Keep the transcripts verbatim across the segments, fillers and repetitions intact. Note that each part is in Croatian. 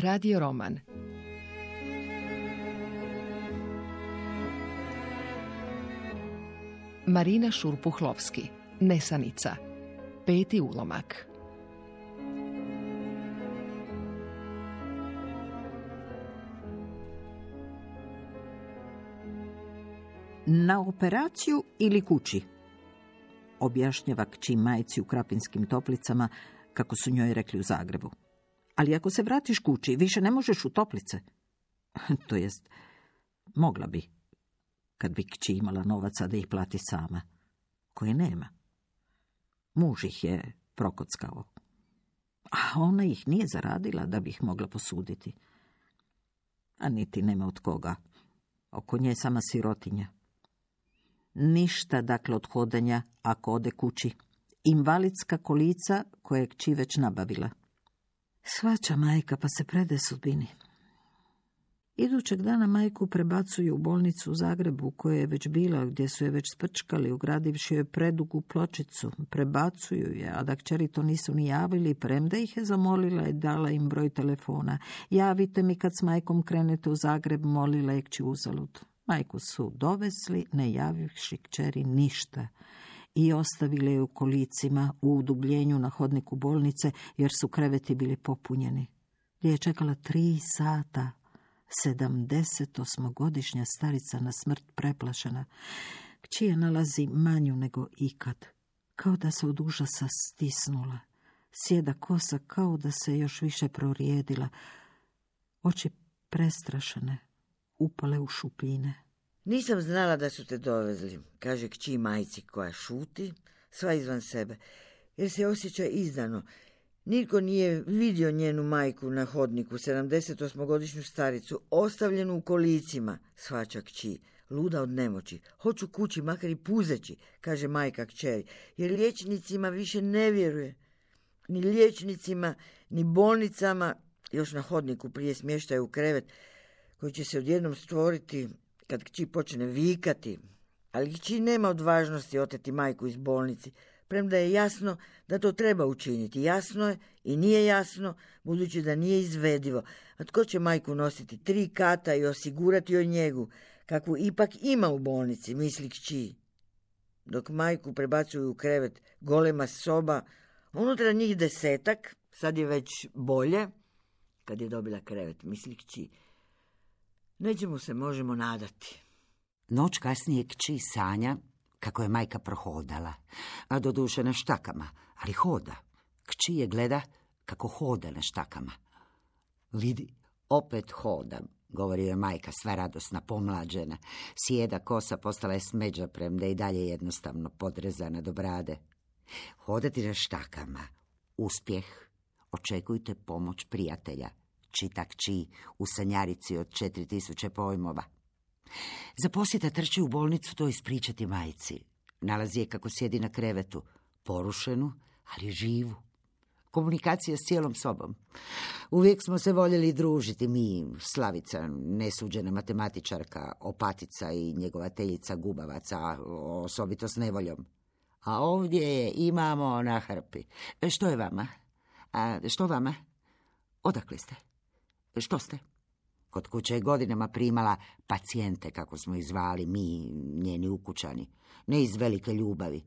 Radio roman. Marina Šurpuhlovski, Nesanica. Peti ulomak. Na operaciju ili kući? Objašnjava kći majci u Krapinskim Toplicama, kako su njoj rekli u Zagrebu. Ali ako se vratiš kući, više ne možeš u toplice. To jest, mogla bi, kad bi kći imala novaca da ih plati sama, koje nema. Muž ih je prokockao, a ona ih nije zaradila da bi ih mogla posuditi. A niti nema od koga. Oko nje sama sirotinja. Ništa, dakle, od hodanja ako ode kući. Invalidska kolica koje je kći već nabavila. Svaća majka, pa se prede sudbini. Idućeg dana majku prebacuju u bolnicu u Zagrebu, u kojoj je već bila, gdje su je već sprčkali, ugradivši joj predugu pločicu. Prebacuju je, a da kćeri to nisu ni javili, premda ih je zamolila i dala im broj telefona. Javite mi kad s majkom krenete u Zagreb, molila je kći uzalud. Majku su dovesli, ne javivši kćeri ništa, i ostavili je u kolicima u udubljenju na hodniku bolnice, jer su kreveti bili popunjeni. Gdje je čekala tri sata, sedamdesetosmogodišnja starica na smrt preplašena. Kći je nalazi manju nego ikad, kao da se od užasa stisnula. Sjeda kosa kao da se još više prorijedila. Oči prestrašene, upale u šupljine. Nisam znala da su te dovezli, kaže kći majci koja šuti, sva izvan sebe, jer se osjeća izdano. Nitko nije vidio njenu majku na hodniku, sedamdesetosmogodišnju staricu, ostavljenu u kolicima, shvaća kći, luda od nemoći. Hoću kući, makar i puzeći, kaže majka kćeri, jer liječnicima više ne vjeruje. Ni liječnicima, ni bolnicama, još na hodniku prije smještaja u krevet, koji će se odjednom stvoriti kad kći počne vikati. Ali kći nema odvažnosti oteti majku iz bolnici, premda je jasno da to treba učiniti. Jasno je i nije jasno, budući da nije izvedivo. A tko će majku nositi tri kata i osigurati joj njegu, kakvu ipak ima u bolnici, misli kći. Dok majku prebacuju u krevet, golema soba, unutra njih desetak, sad je već bolje, kad je dobila krevet, misli kći. Nećemo se možemo nadati. Noć kasnije kći sanja kako je majka prohodala, a doduše na štakama, ali hoda. Kći je gleda kako hoda na štakama. Vidi, opet hodam, govori je majka, sva radosna, pomlađena. Sjeda kosa postala je smeđa, premda i dalje jednostavno podrezana do brade. Hodati na štakama, uspjeh, očekujte pomoć prijatelja, čita kći u sanjarici od četiri tisuće pojmova. Zaposlita trči u bolnicu to ispričati majci. Nalazi je kako sjedi na krevetu, porušenu, ali živu. Komunikacija s cijelom sobom. Uvijek smo se voljeli družiti, mi, Slavica, nesuđena matematičarka, Opatica i njegovateljica Gubavaca, osobito s nevoljom. A ovdje je imamo na hrpi. Što je vama? A što vama? Odakle ste? Što ste? Kod kuće je godinama primala pacijente, kako smo ih zvali mi, njeni ukućani. Ne iz velike ljubavi,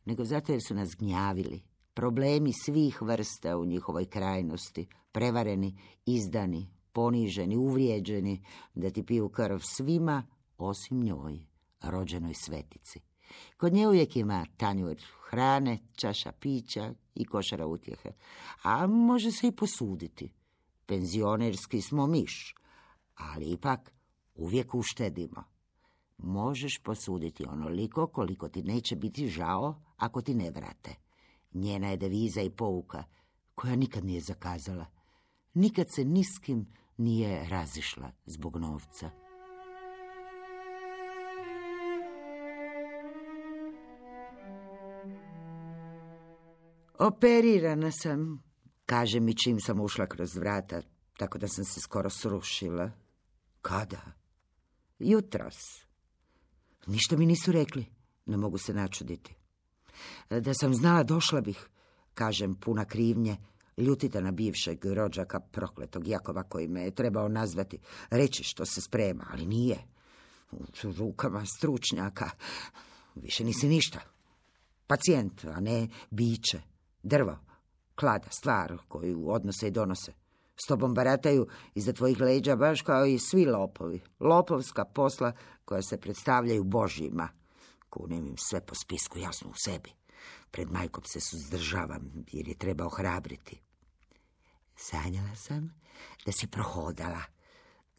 nego zato jer su nas gnjavili. Problemi svih vrsta u njihovoj krajnosti, prevareni, izdani, poniženi, uvrijeđeni, da ti piju krv svima, osim njoj, rođenoj svetici. Kod nje uvijek ima tanjur hrane, čaša pića i košara utjehe, a može se i posuditi. Penzionerski smo miš, ali ipak uvijek uštedimo. Možeš posuditi onoliko koliko ti neće biti žao ako ti ne vrate. Njena je deviza i pouka, koja nikad nije zakazala. Nikad se ni s kim nije razišla zbog novca. Operirana sam, kaže mi čim sam ušla kroz vrata, tako da sam se skoro srušila. Kada? Jutros. Ništa mi nisu rekli, ne mogu se načuditi. Da sam znala, došla bih, kažem puna krivnje, Ljutita na bivšeg rođaka prokletog Jakova koji me je trebao nazvati, reći što se sprema, ali nije. U rukama stručnjaka više nisi ništa. Pacijent, a ne biće, drvo, klada, stvar koju odnose i donose. S tobom barataju iza tvojih leđa baš kao i svi lopovi. Lopovska posla koja se predstavljaju božjima. Kunem im sve po spisku jasno u sebi. Pred majkom se suzdržavam jer je treba ohrabriti. Sanjala sam da si prohodala.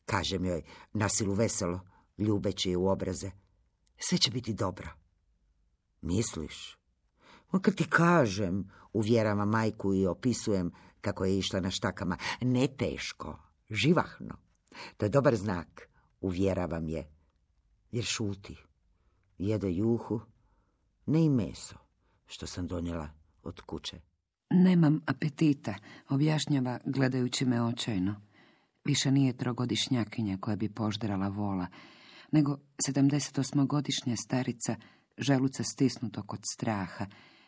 Kažem joj nasilu veselo, ljubeći je u obraze. Sve će biti dobro. Misliš? Ma kad ti kažem, uvjeravam majku i opisujem kako je išla na štakama. Ne teško, živahno. To je dobar znak, uvjeravam je. Jer šuti. Jede juhu, ne i meso, što sam donijela od kuće. Nemam apetita, objašnjava gledajući me očajno. Više nije trogodišnjakinja koja bi požderala vola, nego sedamdesetosmogodišnja starica želuca stisnutog od straha,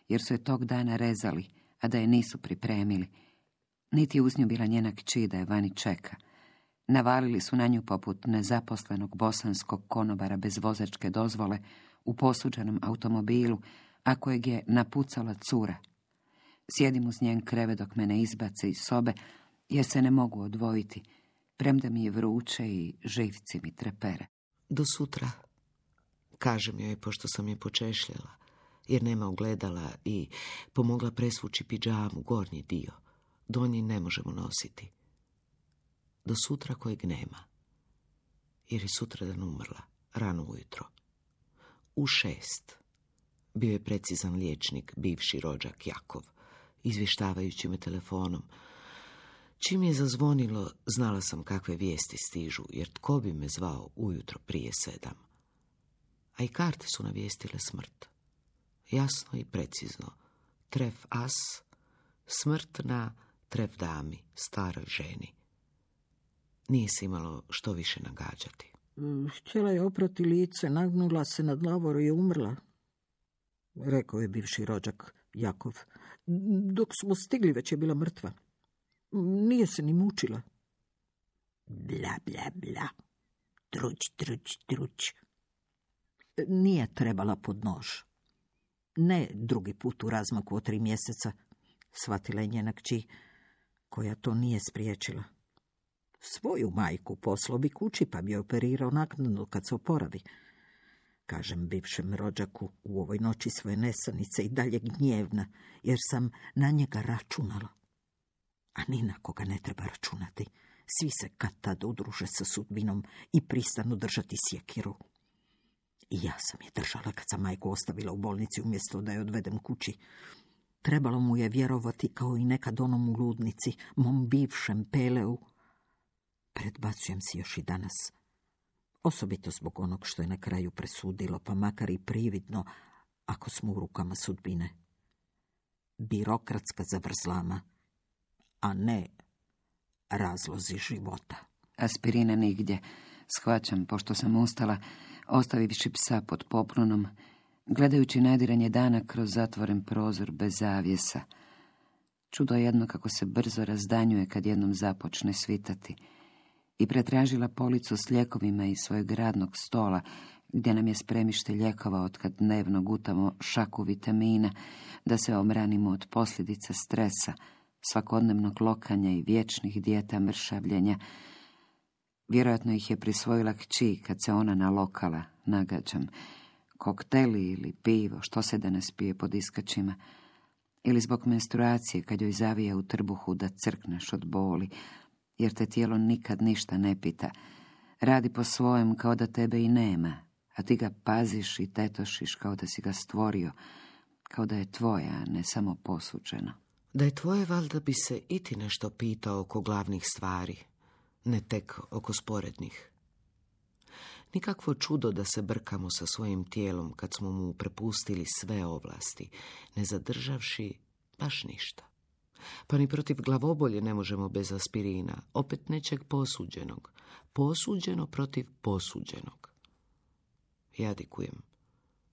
jer su je tog dana rezali, a da je nisu pripremili. Niti je uz nju bila njena kći da je vani čeka. Navalili su na nju poput nezaposlenog bosanskog konobara bez vozačke dozvole u posuđenom automobilu, a kojeg je napucala cura. Sjedim uz njen krevet dok me ne izbace iz sobe, jer se ne mogu odvojiti, premda mi je vruće i živci mi trepere. Do sutra, kažem joj pošto sam je počešljala, jer nema ogledala i pomogla presvući pidžamu, gornji dio. Donji ne možemo nositi. Do sutra kojeg nema, jer je sutradan umrla, rano ujutro. U šest bio je precizan liječnik, bivši rođak Jakov, izvještavajući me telefonom. Čim je zazvonilo, znala sam kakve vijesti stižu, jer tko bi me zvao ujutro prije sedam. A i karte su navijestile smrt. Jasno i precizno. Tref as, smrt na tref dami, staroj ženi. Nije se imalo što više nagađati. Htjela je oprati lice, nagnula se nad lavoru i umrla, rekao je bivši rođak Jakov. Dok smo stigli, već je bila mrtva. Nije se ni mučila. Bla, bla, bla. Truć, truć, truć. Nije trebala pod nož. Ne drugi put u razmaku od tri mjeseca, shvatila je njena kći, koja to nije spriječila. Svoju majku poslao bi kući, pa bi operirao naknadno kad se oporavi. Kažem bivšem rođaku u ovoj noći svoje nesanice i dalje gnjevna, jer sam na njega računala. A ni na koga ne treba računati. Svi se kad tad udruže sa sudbinom i pristanu držati sjekiru. I ja sam je držala kad sam majku ostavila u bolnici umjesto da je odvedem kući. Trebalo mu je vjerovati kao i nekad onom u ludnici, mom bivšem Peleu. Predbacujem si još i danas. Osobito zbog onog što je na kraju presudilo, pa makar i prividno, ako smo u rukama sudbine. Birokratska zavrzlama, a ne razlozi života. Aspirina nigdje. Shvaćam, pošto sam ustala, ostavivši psa pod poplunom, gledajući nadiranje dana kroz zatvoren prozor bez zavjesa. Čudo jedno kako se brzo razdanjuje kad jednom započne svitati. I pretražila policu s lijekovima iz svojeg radnog stola, gdje nam je spremište lijekova otkad dnevno gutamo šaku vitamina, da se omranimo od posljedica stresa, svakodnevnog lokanja i vječnih dijeta mršavljenja. Vjerojatno ih je prisvojila kći kad se ona nalokala, nagađam. Kokteli ili pivo, što se danas pije pod iskačima. Ili zbog menstruacije kad joj zavija u trbuhu da crkneš od boli, jer te tijelo nikad ništa ne pita. Radi po svojem kao da tebe i nema, a ti ga paziš i tetošiš kao da si ga stvorio, kao da je tvoja, a ne samo posuđeno. Da je tvoje, valjda bi se i ti nešto pitao oko glavnih stvari, ne tek oko sporednih. Nikakvo čudo da se brkamo sa svojim tijelom kad smo mu prepustili sve ovlasti, ne zadržavši baš ništa. Pa ni protiv glavobolje ne možemo bez aspirina, opet nečeg posuđenog. Posuđeno protiv posuđenog. Jadikujem,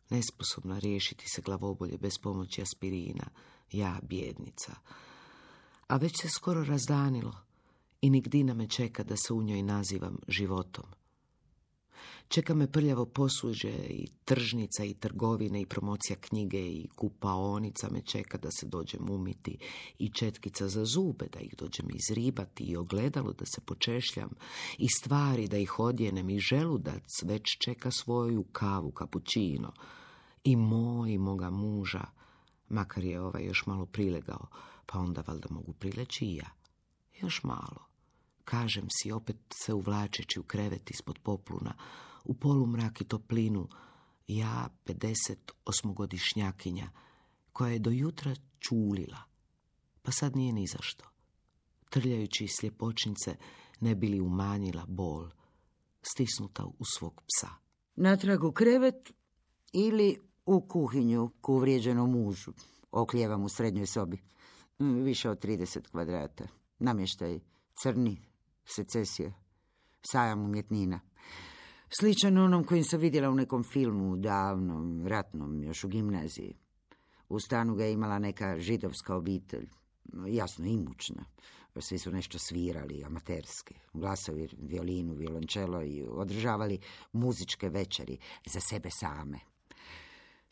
nesposobna riješiti se glavobolje bez pomoći aspirina, ja bjednica. A već se skoro razdanilo i nigdina me čeka da se u njoj nazivam životom. Čeka me prljavo posuđe i tržnica i trgovine i promocija knjige i kupaonica me čeka da se dođem umiti i četkica za zube da ih dođem izribati i ogledalo da se počešljam i stvari da ih odjenem i želudac već čeka svoju kavu kapućino i moj moga muža, makar je ovaj još malo prilegao, pa onda valjda mogu prileći i ja. Još malo. Kažem si, opet se uvlačeći u krevet ispod popluna, u polumrak i toplinu, ja, pedeset osmogodišnjakinja, koja je do jutra čulila, pa sad nije ni zašto. Trljajući sljepočnice ne bi li umanjila bol, stisnuta u svog psa. Natrag u krevet ili u kuhinju ku uvrijeđenom mužu. Oklijevam u srednjoj sobi. Više od trideset kvadrata. Namještaj crni, secesija, sajam umjetnina. Sličan onom kojim sam vidjela u nekom filmu, davnom, ratnom, još u gimnaziji. U stanu ga je imala neka židovska obitelj, jasno imućna. Svi su nešto svirali, amaterski, glasovi, violinu, violončelo i održavali muzičke večeri za sebe same.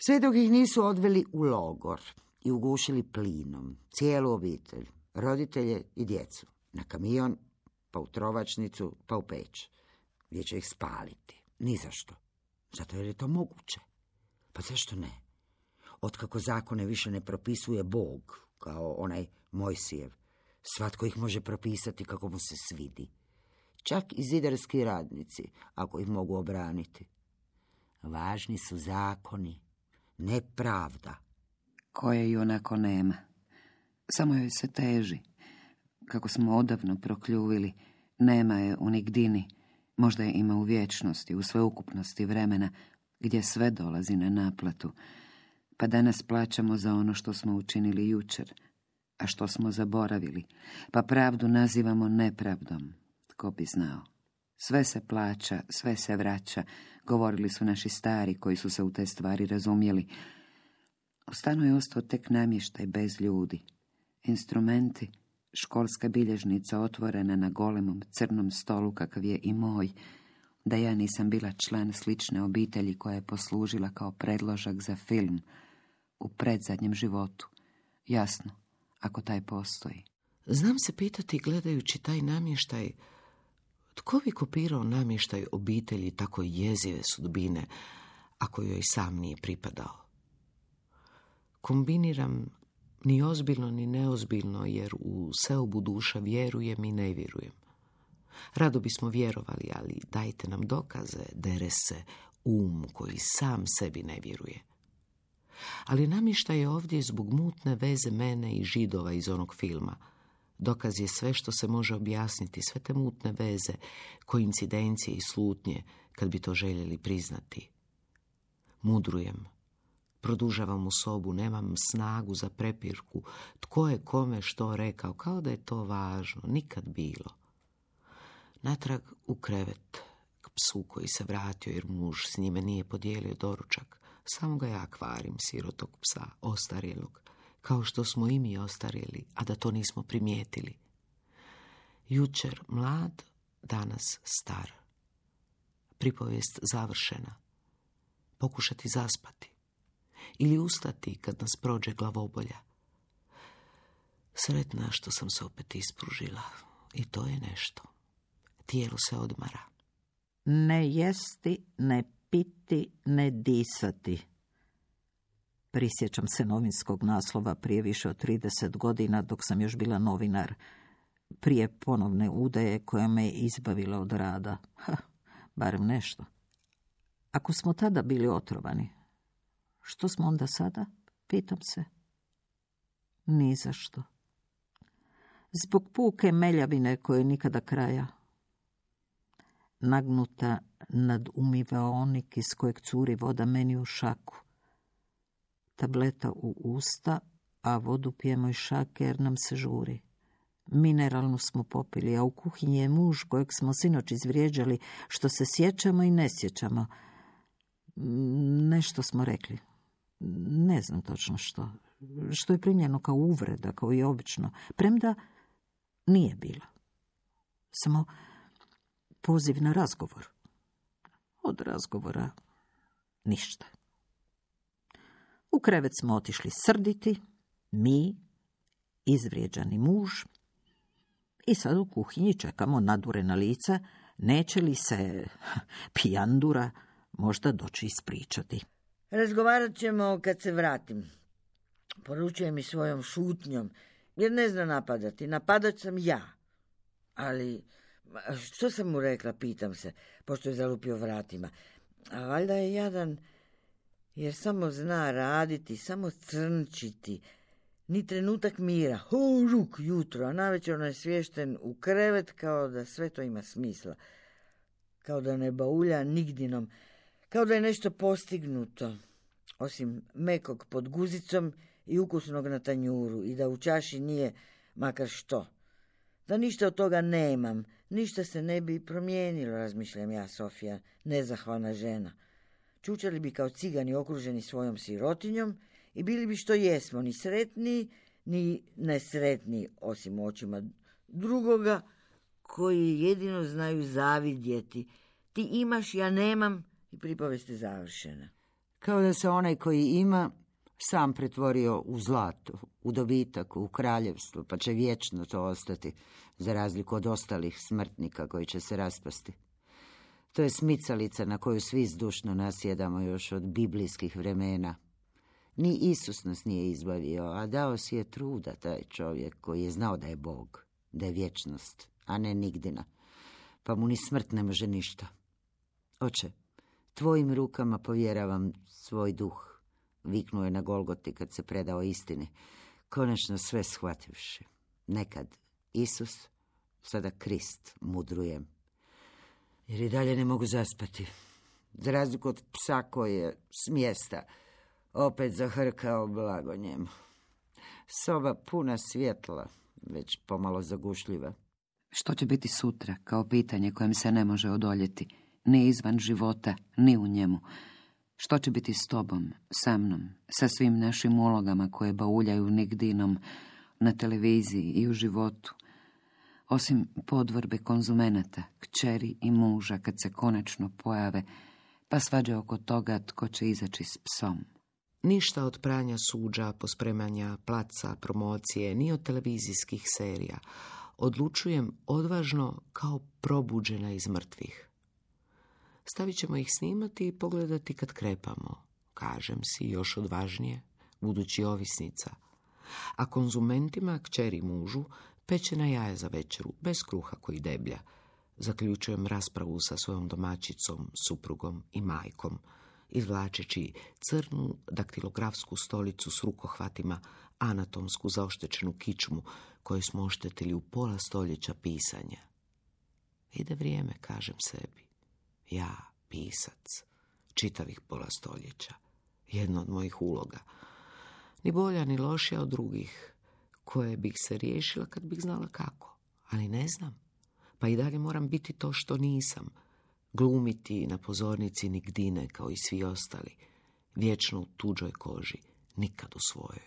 Sve dok ih nisu odveli u logor i ugušili plinom cijelu obitelj, roditelje i djecu, na kamion, pa u trovačnicu, pa u peć, gdje će ih spaliti. Ni zašto. Zato jer je to moguće. Pa zašto ne? Otkako zakone više ne propisuje Bog, kao onaj Mojsijev, svatko ih može propisati kako mu se svidi. Čak i zidarski radnici, ako ih mogu obraniti. Važni su zakoni, ne pravda. Koje i onako nema. Samo joj se teži. Kako smo odavno prokljuvili, nema je u nigdini. Možda je ima u vječnosti, u sveukupnosti vremena, gdje sve dolazi na naplatu. Pa danas plaćamo za ono što smo učinili jučer, a što smo zaboravili. Pa pravdu nazivamo nepravdom. Tko bi znao? Sve se plaća, sve se vraća, govorili su naši stari koji su se u te stvari razumjeli. U stanu je ostao tek namještaj bez ljudi. Instrumenti, školska bilježnica otvorena na golemom crnom stolu kakav je i moj, da ja nisam bila član slične obitelji koja je poslužila kao predložak za film u predzadnjem životu. Jasno, ako taj postoji. Znam se pitati, gledajući taj namještaj, tko bi kopirao namještaj obitelji tako jezive sudbine, ako joj sam nije pripadao? Kombiniram ni ozbiljno ni neozbiljno, jer u seobu duša vjerujem i ne vjerujem. Rado bismo vjerovali, ali dajte nam dokaze, dere se um koji sam sebi ne vjeruje. Ali namještaj je ovdje zbog mutne veze mene i Židova iz onog filma. Dokaz je sve što se može objasniti, sve te mutne veze, koincidencije i slutnje, kad bi to željeli priznati. Mudrujem. Produžavam u sobu, nemam snagu za prepirku. Tko je kome što rekao, kao da je to važno, nikad bilo. Natrag u krevet, k psu koji se vratio jer muž s njime nije podijelio doručak. Samo ga ja kvarim, sirotog psa, ostarjelog, kao što smo i mi ostarjeli, a da to nismo primijetili. Jučer mlad, danas star. Pripovijest završena. Pokušati zaspati. Ili ustati kad nas prođe glavobolja. Sretna što sam se opet ispružila. I to je nešto. Tijelo se odmara. Ne jesti, ne piti, ne disati. Prisjećam se novinskog naslova prije više od trideset godina, dok sam još bila novinar, prije ponovne udaje koja me je izbavila od rada. Ha, barem nešto. Ako smo tada bili otrovani, što smo onda sada? Pitam se. Ni za što. Zbog puke meljavine koje nikada kraja. Nagnuta nad umivaonik iz kojeg curi voda meni u šaku. Tableta u usta, a vodu pijemo iz šake jer nam se žuri. Mineralnu smo popili, a u kuhinji je muž kojeg smo sinoć izvrijeđali, što se sjećamo i ne sjećamo. Nešto smo rekli. Ne znam točno što. što je primljeno kao uvreda, kao i obično, premda nije bila. Samo poziv na razgovor. Od razgovora ništa. U krevet smo otišli srditi, mi, izvrijeđani muž, i sad u kuhinji čekamo nadurena lica, neće li se pijandura možda doći ispričati. Razgovarat ćemo kad se vratim. Poručuje mi svojom šutnjom, jer ne zna napadati. Napadač sam ja. Ali, što sam mu rekla, pitam se, pošto je zalupio vratima. A valjda je jadan, jer samo zna raditi, samo crnčiti. Ni trenutak mira, ho, ruk, jutro, a navečer je svješten u krevet kao da sve to ima smisla. Kao da ne baulja nigdinom, kao da je nešto postignuto, osim mekog pod guzicom i ukusnog na tanjuru i da u čaši nije makar što. Da ništa od toga nemam, ništa se ne bi promijenilo, razmišljam ja, Sofija, nezahvalna žena. Čučali bi kao cigani okruženi svojom sirotinjom i bili bi što jesmo, ni sretni, ni nesretni, osim očima drugoga, koji jedino znaju zavidjeti. Ti imaš, ja nemam, i pripovest je završena. Kao da se onaj koji ima sam pretvorio u zlato, u dobitak, u kraljevstvo, pa će vječno to ostati, za razliku od ostalih smrtnika koji će se raspasti. To je smicalica na koju svi zdušno nasjedamo još od biblijskih vremena. Ni Isus nas nije izbavio, a dao si je truda taj čovjek koji je znao da je Bog, da je vječnost, a ne nigdina, pa mu ni smrt ne može ništa. Oče, tvojim rukama povjeravam svoj duh, viknuo je na Golgoti kad se predao istini, konačno sve shvativši. Nekad Isus, sada Krist, mudrujem. Jer i dalje ne mogu zaspati. Za razliku od psa koji je s mjesta opet zahrkao blago njemu. Soba puna svjetla, već pomalo zagušljiva. Što će biti sutra, kao pitanje kojem se ne može odoljeti, ni izvan života, ni u njemu. Što će biti s tobom, sa mnom, sa svim našim ulogama koje bauljaju nigdinom na televiziji i u životu, osim podvorbe konzumenata, kćeri i muža kad se konačno pojave, pa svađe oko toga tko će izaći s psom. Ništa od pranja suđa, pospremanja placa, promocije, ni od televizijskih serija. Odlučujem odvažno kao probuđena iz mrtvih. Stavit ćemo ih snimati i pogledati kad krepamo, kažem si još odvažnije, budući ovisnica. A konzumentima, kćeri mužu, pečena jaja za večeru, bez kruha koji deblja. Zaključujem raspravu sa svojom domaćicom, suprugom i majkom, izvlačeći crnu daktilografsku stolicu s rukohvatima, anatomsku zaoštečenu kičmu koju smo oštetili u pola stoljeća pisanja. Ide vrijeme, kažem sebi. Ja, pisac, čitavih pola stoljeća, jedna od mojih uloga. Ni bolja, ni lošija od drugih, koje bih se riješila kad bih znala kako. Ali ne znam, pa i dalje moram biti to što nisam. Glumiti na pozornici nigdine kao i svi ostali, vječno u tuđoj koži, nikad u svojoj,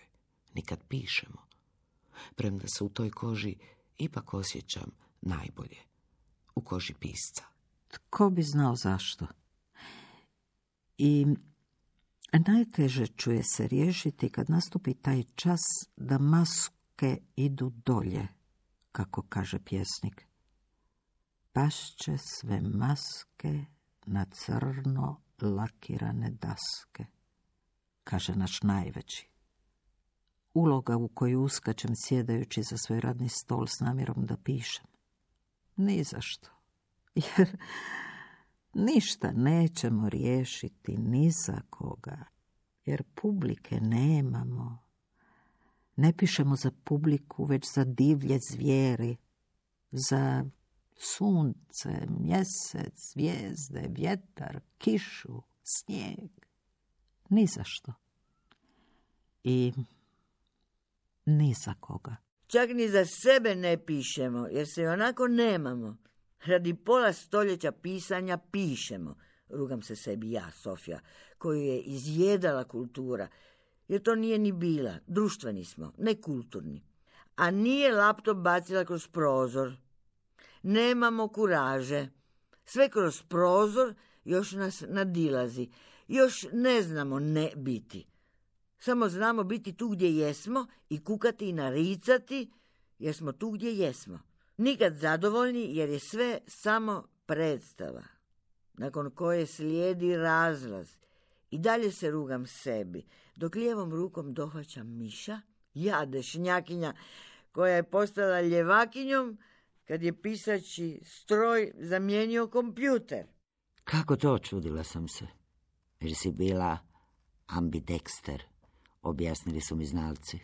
nikad pišemo. Premda se u toj koži ipak osjećam najbolje, u koži pisca. Tko bi znao zašto? I najteže čuje se riješiti kad nastupi taj čas da maske idu dolje, kako kaže pjesnik. Pašće sve maske na crno lakirane daske, kaže naš najveći. Uloga u koju uskačem sjedajući za svoj radni stol s namjerom da pišem. Ni zašto. Jer ništa nećemo riješiti ni za koga. Jer publike nemamo. Ne pišemo za publiku, već za divlje zvijeri. Za sunce, mjesec, zvijezde, vjetar, kišu, snijeg. Ni za što. I ni za koga. Čak ni za sebe ne pišemo, jer se onako nemamo. Radi pola stoljeća pisanja pišemo. Rugam se sebi ja, Sofija, koju je izjedala kultura. jer to nije ni bila. Društveni smo, ne kulturni. A nije laptop bacila kroz prozor. Nemamo kuraže. Sve kroz prozor još nas nadilazi. Još ne znamo ne biti. Samo znamo biti tu gdje jesmo i kukati i naricati jer smo tu gdje jesmo. Nikad zadovoljni jer je sve samo predstava, nakon koje slijedi razlaz. I dalje se rugam sebi, dok lijevom rukom dohvaćam miša, ja dešnjakinja koja je postala ljevakinjom kad je pisaći stroj zamijenio kompjuter. Kako to, čudila sam se. Jer si bila ambidexter, objasnili su mi znalci.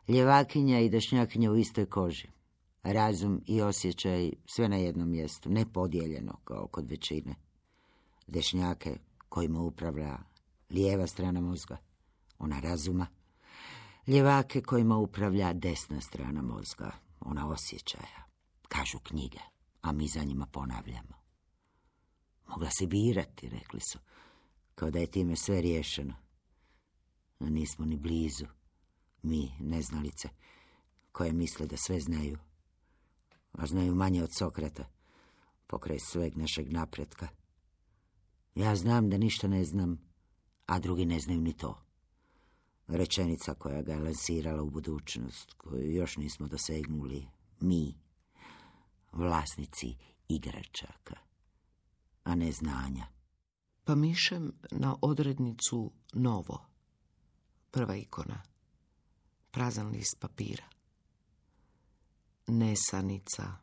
Ljevakinja i dešnjakinja u istoj koži. Razum i osjećaj sve na jednom mjestu, ne podijeljeno kao kod većine. Dešnjake kojima upravlja lijeva strana mozga, ona razuma. Ljevake kojima upravlja desna strana mozga, ona osjećaja. Kažu knjige, a mi za njima ponavljamo. Mogla si birati, rekli su, kao da je time sve riješeno. A nismo ni blizu, mi, neznalice, koje misle da sve znaju. A znaju manje od Sokrata, pokraj sveg našeg napretka. Ja znam da ništa ne znam, a drugi ne znaju ni to. Rečenica koja ga je lansirala u budućnost, koju još nismo dosegnuli, mi, vlasnici igračaka, a ne znanja. Pa mišem na odrednicu novo. Prva ikona. Prazan list papira. Nesanica.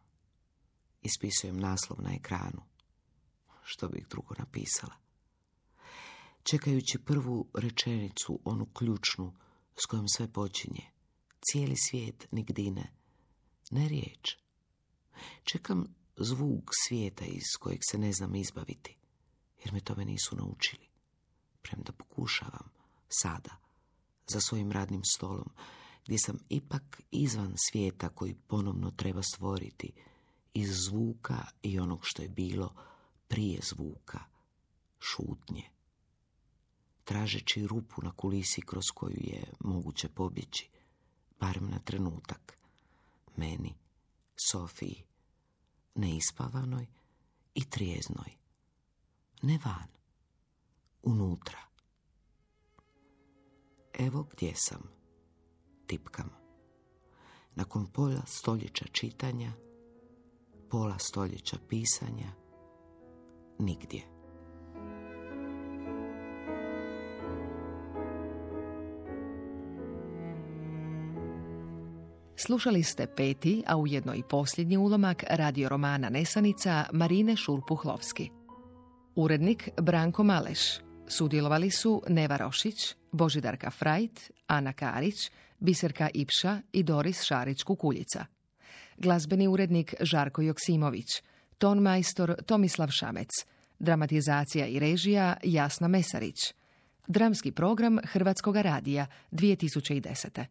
Ispisujem naslov na ekranu. Što bih drugo napisala? Čekajući prvu rečenicu, onu ključnu s kojom sve počinje. Cijeli svijet nigdine. Ne riječ. Čekam zvuk svijeta iz kojeg se ne znam izbaviti, jer me tome nisu naučili. Premda pokušavam, sada, za svojim radnim stolom, gdje sam ipak izvan svijeta koji ponovno treba stvoriti iz zvuka i onog što je bilo prije zvuka, šutnje. Tražeći rupu na kulisi kroz koju je moguće pobjeći, barem na trenutak, meni, Sofiji, neispavanoj i trijeznoj. Ne van, unutra. Evo gdje sam, tipkam. Nakon pola stoljeća čitanja, pola stoljeća pisanja, nigdje. Slušali ste peti, a ujedno i posljednji ulomak radio romana Nesanica Marine Šurpuhlovski. Urednik Branko Maleš. Sudjelovali su Neva Rošić, Božidarka Frajt, Ana Karić, Biserka Ipša i Doris Šarić-Kukuljica. Glazbeni urednik Žarko Joksimović, ton majstor Tomislav Šamec, dramatizacija i režija Jasna Mesarić. Dramski program Hrvatskoga radija dvije tisuće desete.